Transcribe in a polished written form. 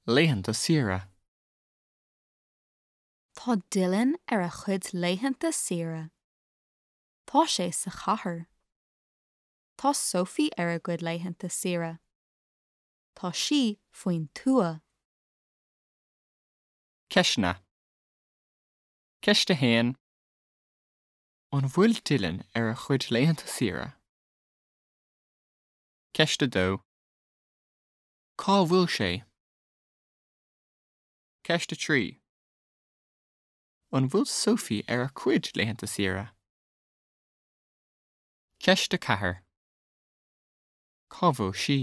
Laethanta saoire. Tá Dylan ar a chuid laethanta saoire. Tá sé sa chathair. Tá Sophie ar a gcuid laethanta saoire. Tá sí faoin tuath. Ceisteanna. Ceist 1. An bhfuil Dylan ar a chuid laethanta saoire? Ceist 2. Cá bhfuil sé? Ceist 3. An bhfuil Sophie ar a cuid laethanta saoire? Ceist 4. Cá bhfuil sí?